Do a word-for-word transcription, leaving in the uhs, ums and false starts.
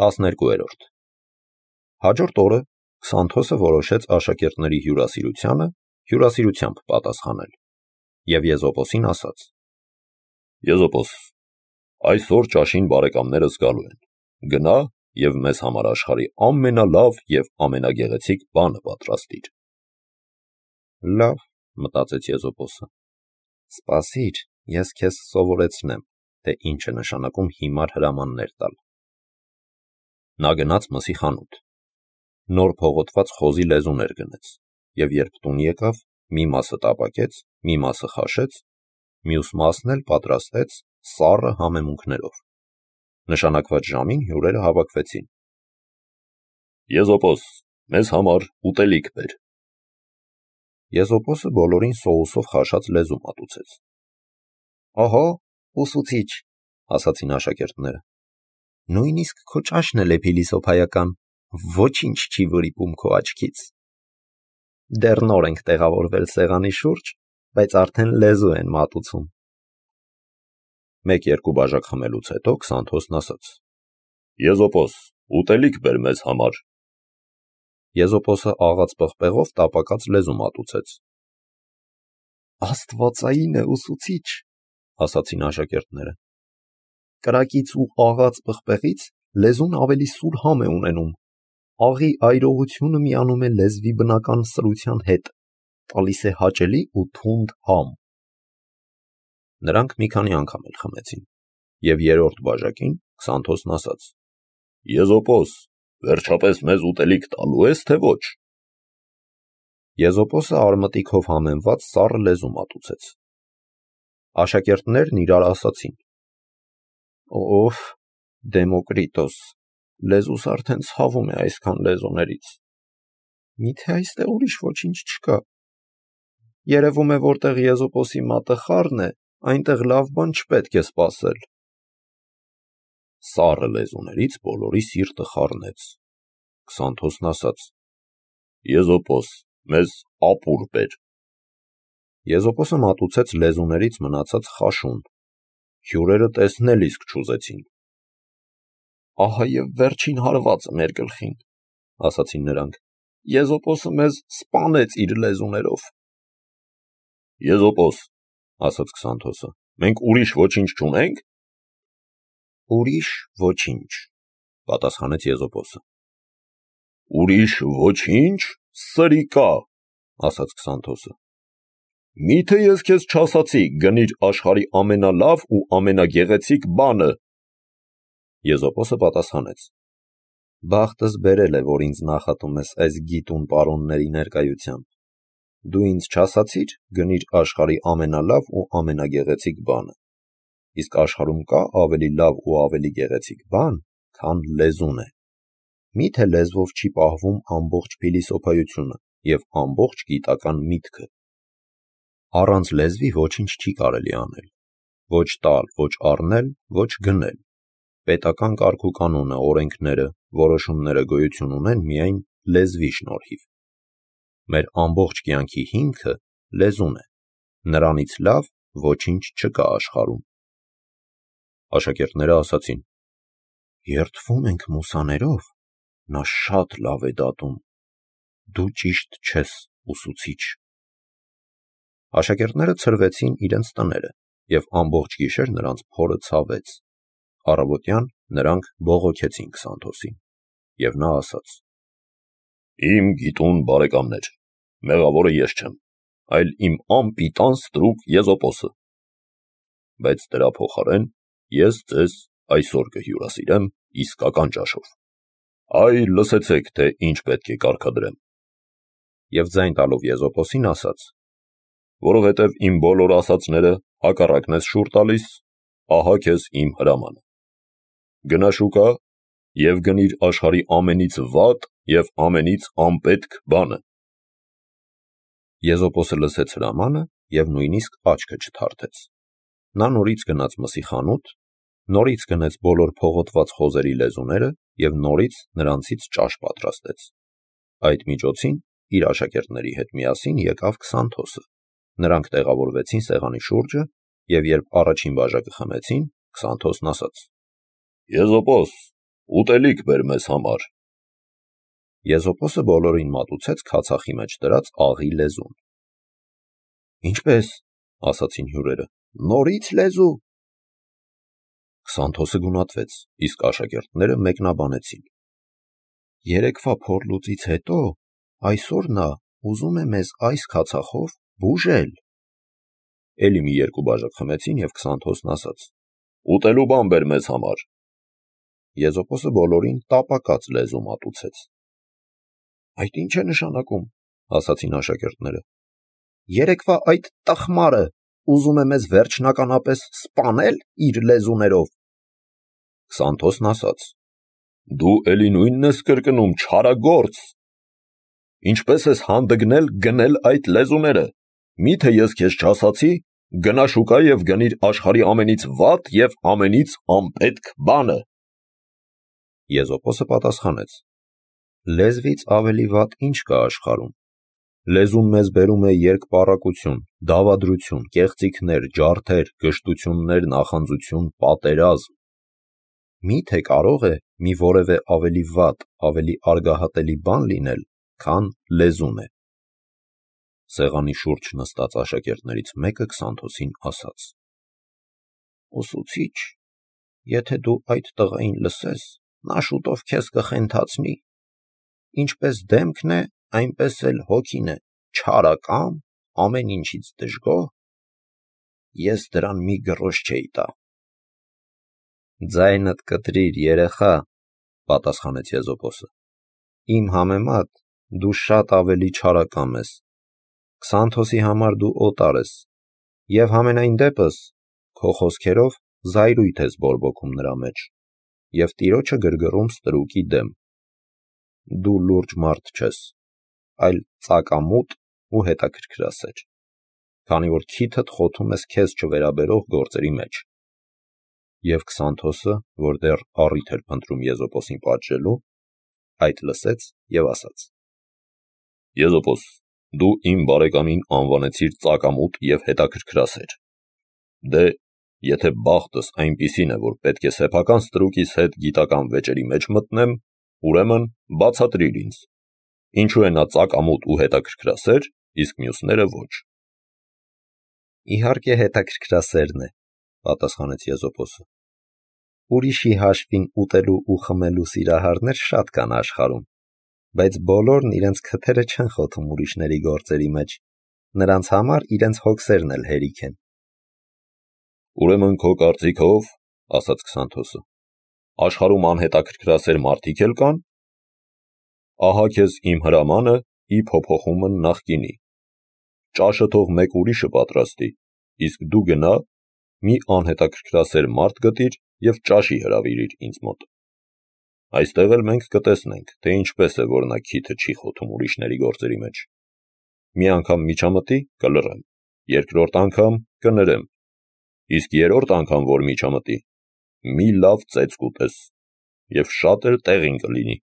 տասներկուերորդ Հաջորդ օրը Քսանթոսը որոշեց աշակերտների հյուրասիրությանը հյուրասիրությամբ պատասխանել և Եզոպոսին ասաց. Եզոպոս, այսօր ճաշին բարեկամներս գալու են, գնա և մեզ համար աշխարհի ամենալավ և ամենագեղեցիկ բանը պատրաստիր։ Լավ, մտածեց Եզոպոսը, սպասիր, ես քեզ սովորեցնեմ, թե ինչ է նշանակում հիմար հրամաններ տալ։ Նա գնաց մսի խանութ, նոր փողոտված խոզի լեզուներ գնեց, և երբ տուն եկավ, մի մասը տապակեց, մի մասը խաշեց, մյուս մասն էլ պատրաստեց սառը համեմունքներով։ Նշանակված ժամին հյուրերը հավաքվեցին։ Եզոպոս, մեզ համար ուտելիք բեր։ Եզոպոսը բոլորին սոուսով խաշած լեզու մատուցեց։ Ահա, ուսուցիչ, ասացին աշակերտները, նույնիսկ քո ճաշն էլ է փիլիսոփայական, ոչինչ չի վրիպում քո աչքից։ Դեռ նոր ենք տեղավորվել սեղանի շուրջ, բայց արդեն լեզու են մատուցում։ Մեկ-երկու բաժակ խմելուց հետո Քսանթոսն ասաց. Եզոպոս, ուտելիք բեր մեզ համար։ Եզոպոսը աղաց պղպեղով տապակած լեզու մատուցեց։ Աստվածային է, ուսուցիչ, ասացին աշակերտները։ Կրակից ու աղաց պղպեղից լեզուն ավելի սուր համ է ունենում։ Աղի այրողությունը միանում է լեզվի բնական սրության հետ, տալիս է հաճելի ու թունդ համ։ Նրանք մի քանի անգամ էլ խմեցին, և երրորդ բաժակին Քսանթոսն ասաց. Եզոպոս, վերջապես մեզ ուտելիք տալու ես, թե ոչ։ Եզոպոսը արմատիքով համեմված սառը լեզու մատուցեց։ Աշակերտներն իրար ասացին. Ով Դեմոկրիտոս, լեզուս արդեն ցավում է այսքան լեզուներից։ Միթե այստեղ ուրիշ ոչինչ չկա։ Երևում է, որտեղ Եզոպոսի մատը խառն է, այնտեղ լավ բան չպետք է սպասել։ Սառը լեզուներից բոլորի սիրտը խառնեց։ Քսանթոսն ասաց. Եզոպոս, մեզ ապուր բեր։ Եզոպոսը մատուցեց լեզուներից մնացած խաշուն։ Հյուրերը տեսնել իսկ չուզեցին։ Ահա և վերջին հարվածը մեր գլխին, ասացին նրանք։ Եզոպոսը մեզ սպանեց իր լեզուներով։ Եզոպոս, ասաց Քսանթոսը, մենք ուրիշ ոչինչ չունենք։ Ուրիշ ոչինչ, պատասխանեց Եզոպոսը։ Ուրիշ ոչինչ, սրիկա, ասաց Քսանթոսը։ Միթե ես քեզ չասացի, գնիր աշխարհի ամենալավ ու ամենագեղեցիկ բանը։ Եզոպոսը պատասխանեց. Բախտս բերել է, որ ինձ նախատում ես այս գիտուն պարոնների ներկայությամբ։ Դու ինձ չասացիր, գնիր աշխարհի ամենալավ ու ամենագեղեցիկ բանը։ Իսկ աշխարհում կա ավելի լավ ու ավելի գեղեցիկ բան, քան լեզուն է։ Միթե լեզվով չի պահվում ամբողջ փիլիսոփայությունը և ամբողջ գիտական միտքը։ Առանց լեզվի ոչինչ չի կարելի անել։ Ոչ տալ, ոչ առնել, ոչ գնել։ Պետական կարգուկանոնը, օրենքները, որոշումները գոյություն ունեն միայն լեզվի շնորհիվ։ Մեր ամբողջ կյանքի հիմքը լեզուն է։ Նրանից լավ ոչինչ չկա աշխարհում։ Աշակերտները ասացին. Երդվում ենք մուսաներով, նա շատ լավ է դատում։ Դու ճիշտ չես, ուսուցիչ։ Աշակերտները ցրվեցին իրենց տները, և ամբողջ գիշեր նրանց փորը ցավեց։ Առավոտյան նրանք բողոքեցին Քսանթոսին, և նա ասաց. Իմ գիտուն բարեկամներ, մեղավորը ես չեմ, այլ իմ անպիտան ստրուկ Եզոպոսը։ Բայց դրա փոխարեն ես ձեզ այսօր կհյուրասիրեմ իսկական ճաշով։ Այ լսեցեք, թե ինչ պետք է կարգադրեմ։ Եվ ձայն տալով Եզոպոսին ասաց. Որովհետև իմ բոլոր ասածները հակառակն ես շուռ տալիս, ահա քեզ իմ հրամանը։ Գնա շուկա և գնիր աշխարհի ամենից վատ և ամենից անպետք բանը։ Եզոպոսը լսեց հրամանը և նույնիսկ աչքը չթարթեց։ Նա նորից գնաց մսի խանութ, նորից գնեց բոլոր փողոտված խոզերի լեզուները և նորից նրանցից ճաշ պատրաստեց։ Այդ միջոցին իր աշակերտների հետ միասին եկավ Քսանթոսը։ Նրանք տեղավորվեցին սեղանի շուրջը, և երբ առաջին բաժակը խմեցին, Քսանթոսն ասաց. Եզոպոս, ուտելիք բեր մեզ համար։ Եզոպոսը բոլորին մատուցեց քացախի մեջ դրած աղի լեզուն։ Ինչպես, ասացին հյուրերը, նորից լեզու։ Քսանթոսը գունատվեց, իսկ աշակերտները մեկնաբանեցին. Երեկվա փորլուծից հետո այսօր նա ուզում է մեզ այս քացախով բուժել։ Էլի մի երկու բաժակ խմեցին և Քսանթոսն ասաց. Ուտելու բան բեր մեզ համար։ Եզոպոսը բոլորին տապակած լեզու մատուցեց։ Այդ ինչ է նշանակում, ասացին աշակերտները։ Երեկվա այդ տխմարը ուզում է մեզ վերջնականապես սպանել իր լեզուներով։ Քսանթոսն ասաց. Դու էլի նույնն ես կրկնում, չարագործ։ Ինչպես ես հանդգնել գնել այդ լեզուները։ Միթե ես քեզ չասացի, գնա շուկա և գնիր աշխարհի ամենից վատ և ամենից անպետք բանը։ Եզոպոսը պատասխանեց. Լեզվից ավելի վատ ինչ կա աշխարհում։ Լեզուն մեզ բերում է երկպառակություն, դավադրություն, կեղծիքներ, ջարդեր, գժտություններ, նախանձություն, պատերազմ։ Միթե կարող է մի որևէ ավելի վատ, ավելի արգահատելի բան լինել, քան լեզուն է։ Սեղանի շուրջ նստած աշակերտներից մեկը Քսանթոսին ասաց. Ուսուցիչ, եթե դու այդ տղային լսես, նա շուտով քեզ կխենթացնի։ Ինչպես դեմքն է, այնպես էլ հոգին է, չարակամ, ամեն ինչից դժգոհ։ Ես դրան մի գրոշ չէի տա։ Ձայնդ կտրիր, երեխա, պատասխանեց Եզոպոսը։ Իմ համեմատ դու շատ ավելի չարակամ ես։ Քսանթոսի համար դու օտար ես, և համենայն դեպս քո խոսքերով զայրույթ ես բորբոքում նրա մեջ, և տիրոջը գրգռում ստրուկի դեմ։ Դու լուրջ մարդ չես, այլ ծակամուտ ու հետաքրքրասեր, քանի որ քիթդ խոթում ես քեզ չվերաբերող գործերի մեջ։ Եվ Քսանթոսը, որ դեռ առիթ էր փնտրում Եզոպոսին պատժելու, այդ լսեց և ասաց. Եզոպոս, դու իմ բարեկամին անվանեցիր ծակամուտ և հետաքրքրասեր։ Դե, եթե բախտս այնպիսին է, որ պետք է սեփական ստրուկիս հետ գիտական վեճերի մեջ մտնեմ, ուրեմն բացատրիր ինձ, ինչու է նա ծակամուտ ու հետաքրքրասեր, իսկ մյուսները ոչ։ Իհարկե հետաքրքրասերն է, պատասխանեց Եզոպոսը։ Ուրիշի հաշվին ուտելու ու խմելու սիրահարներ շատ կան աշխարհում, բայց բոլորն իրենց քթերը չեն խոթում ուրիշների գործերի մեջ, նրանց համար իրենց հոգսերն էլ հերիք են։ Ուրեմն քո կարծիքով, ասաց Քսանթոսը, աշխարհում անհետաքրքրասեր մարդիկ էլ կան։ Ահա քեզ իմ հրամանը ի փոփոխումն նախկինի։ Ճաշը թող մեկ ուրիշը պատրաստի, իսկ դու գնա, մի անհետաքրքրասեր մարդ գտիր և ճաշի հրավիրիր ինձ մոտ։ Այստեղ էլ մենք կտեսնենք, թե ինչպես է, որ նա քիթը չի խոթում ուրիշների գործերի մեջ։ Մի անգամ միջամտի, կլռեմ, երկրորդ անգամ կներեմ, իսկ երրորդ անգամ, որ միջամտի, մի լավ ծեծ կուտես, և շատ էլ տեղին կլինի։